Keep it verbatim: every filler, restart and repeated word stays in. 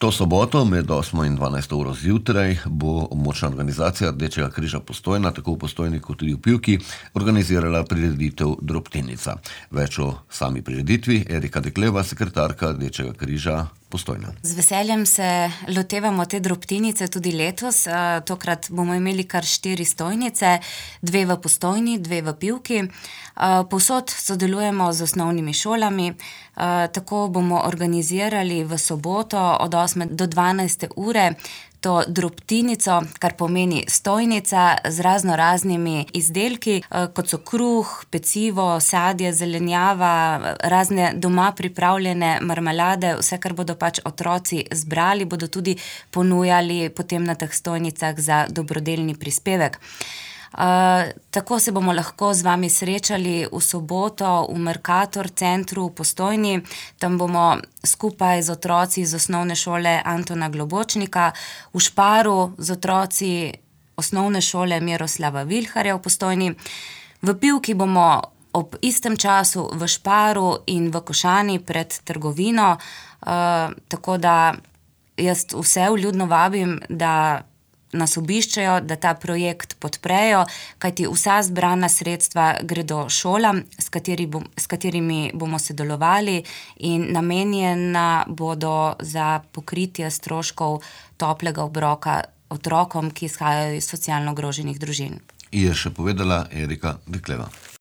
To soboto med osmo in dvanajsto uro zjutraj bo območna organizacija Rdečega križa Postojna, tako v Postojni kot tudi v Pivki, organizirala prireditev Drobtinica. Več o sami prireditvi Erika Dekleva, sekretarka Rdečega križa Postojna. Z veseljem se lotevamo te drobtinice tudi letos. Tokrat bomo imeli kar štiri stojnice, dve v Postojni, dve v Pivki. Povsod sodelujemo z osnovnimi šolami. Tako bomo organizirali v soboto od osme do dvanajste ure to drobtinico, kar pomeni stojnica z razno raznimi izdelki, kot so kruh, pecivo, sadje, zelenjava, razne doma pripravljene marmelade, vse, kar bodo pač otroci zbrali, bodo tudi ponujali potem na teh stojnicah za dobrodelni prispevek. Uh, tako se bomo lahko z vami srečali v soboto v Mercator centru v Postojni. Tam bomo skupaj z otroci iz osnovne šole Antona Globočnika, v Šparu z otroci osnovne šole Miroslava Vilharja v Postojni. V Pivki bomo ob istem času v Šparu in v Košani pred trgovino. Uh, tako da jaz vse vljudno vabim, da nas obiščejo, da ta projekt podprejo, kajti vsa zbrana sredstva gredo šolam, s, kateri bom, s katerimi bomo sodelovali in namenjena bodo za pokritje stroškov toplega obroka otrokom, ki izhajajo iz socialno ogroženih družin. Je še povedala Erika Dekleva.